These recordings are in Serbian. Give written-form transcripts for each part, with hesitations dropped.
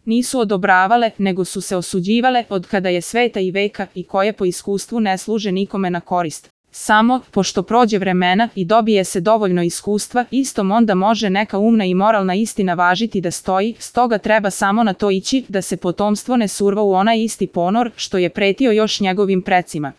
Nisu odobravale, nego su se osuđivale od kada je sveta i veka i koje po iskustvu ne služe nikome na korist. Samo, pošto prođe vremena i dobije se dovoljno iskustva, istom onda može neka umna i moralna istina važiti da stoji, stoga treba samo na to ići da se potomstvo ne surva u onaj isti ponor što je pretio još njegovim precima.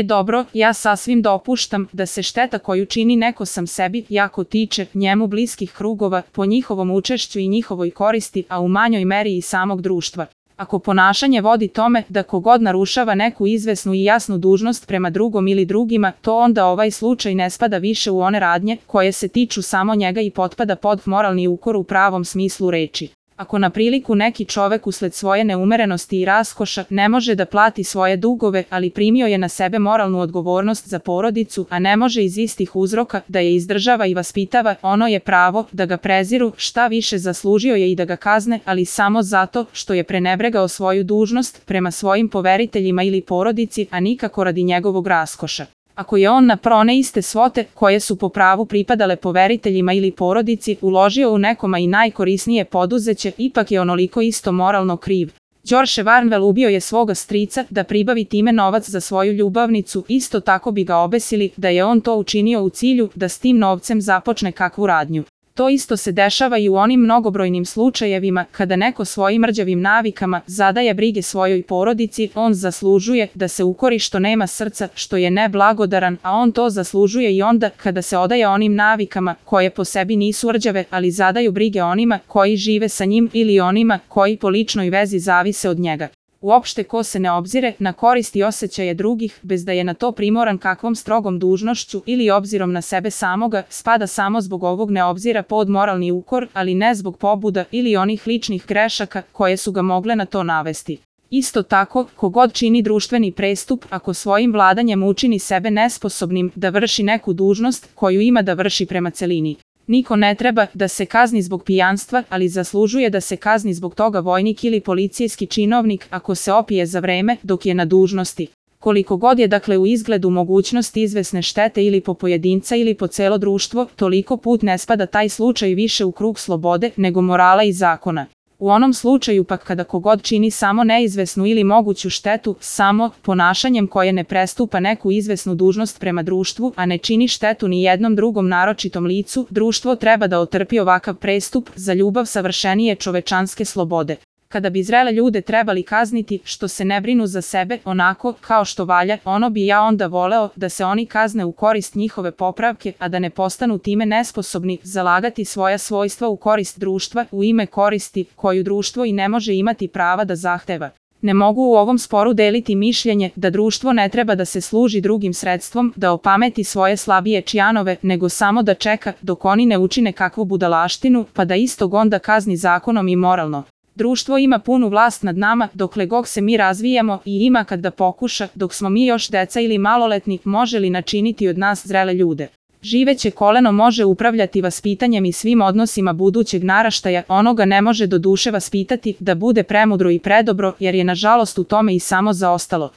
Dobro, ja sasvim dopuštam da se šteta koju čini neko sam sebi jako tiče njemu bliskih krugova po njihovom učešću i njihovoj koristi, a u manjoj meri i samog društva. Ako ponašanje vodi tome da kogod narušava neku izvesnu i jasnu dužnost prema drugom ili drugima, to onda ovaj slučaj ne spada više u one radnje koje se tiču samo njega i potpada pod moralni ukor u pravom smislu reči. Ako na priliku neki čovek usled svoje neumerenosti i raskoša ne može da plati svoje dugove, ali primio je na sebe moralnu odgovornost za porodicu, a ne može iz istih uzroka da je izdržava i vaspitava, ono je pravo da ga preziru, šta više zaslužio je i da ga kazne, ali samo zato što je prenebregao svoju dužnost prema svojim poveriteljima ili porodici, a nikako radi njegovog raskoša. Ako je on na one iste svote koje su po pravu pripadale poveriteljima ili porodici uložio u nekoma i najkorisnije poduzeće, ipak je onoliko isto moralno kriv. George Warnwell ubio je svoga strica da pribavi time novac za svoju ljubavnicu, isto tako bi ga obesili da je on to učinio u cilju da s tim novcem započne kakvu radnju. To isto se dešava i u onim mnogobrojnim slučajevima kada neko svojim rđavim navikama zadaje brige svojoj porodici, on zaslužuje da se ukori što nema srca, što je neblagodaran, a on to zaslužuje i onda kada se odaje onim navikama koje po sebi nisu rđave, ali zadaju brige onima koji žive sa njim ili onima koji po ličnoj vezi zavise od njega. Uopšte ko se ne obzire na korist i osjećaje drugih, bez da je na to primoran kakvom strogom dužnošću ili obzirom na sebe samoga, spada samo zbog ovog neobzira pod moralni ukor, ali ne zbog pobuda ili onih ličnih grešaka koje su ga mogle na to navesti. Isto tako, kogod čini društveni prestup, ako svojim vladanjem učini sebe nesposobnim da vrši neku dužnost koju ima da vrši prema celini. Niko ne treba da se kazni zbog pijanstva, ali zaslužuje da se kazni zbog toga vojnik ili policijski činovnik ako se opije za vreme dok je na dužnosti. Koliko god je dakle u izgledu mogućnost izvesne štete ili po pojedinca ili po celo društvo, toliko put ne spada taj slučaj više u krug slobode nego morala i zakona. U onom slučaju pak kada kogod čini samo neizvesnu ili moguću štetu, samo ponašanjem koje ne prestupa neku izvesnu dužnost prema društvu, a ne čini štetu ni jednom drugom naročitom licu, društvo treba da otrpi ovakav prestup za ljubav savršenije čovečanske slobode. Kada bi zrele ljude trebali kazniti što se ne brinu za sebe onako kao što valja, ono bi ja onda voleo da se oni kazne u korist njihove popravke, a da ne postanu time nesposobni zalagati svoja svojstva u korist društva, u ime koristi koju društvo i ne može imati prava da zahteva. Ne mogu u ovom sporu deliti mišljenje da društvo ne treba da se služi drugim sredstvom da opameti svoje slabije čjanove, nego samo da čeka dok oni ne učine kakvu budalaštinu, pa da istog onda kazni zakonom i moralno. Društvo ima punu vlast nad nama dokle god se mi razvijamo i ima kad da pokuša, dok smo mi još deca ili maloletni, može li načiniti od nas zrele ljude. Živeće koleno može upravljati vaspitanjem i svim odnosima budućeg naraštaja, ono ga ne može do duše vaspitati da bude premudro i predobro, jer je nažalost u tome i samo zaostalo.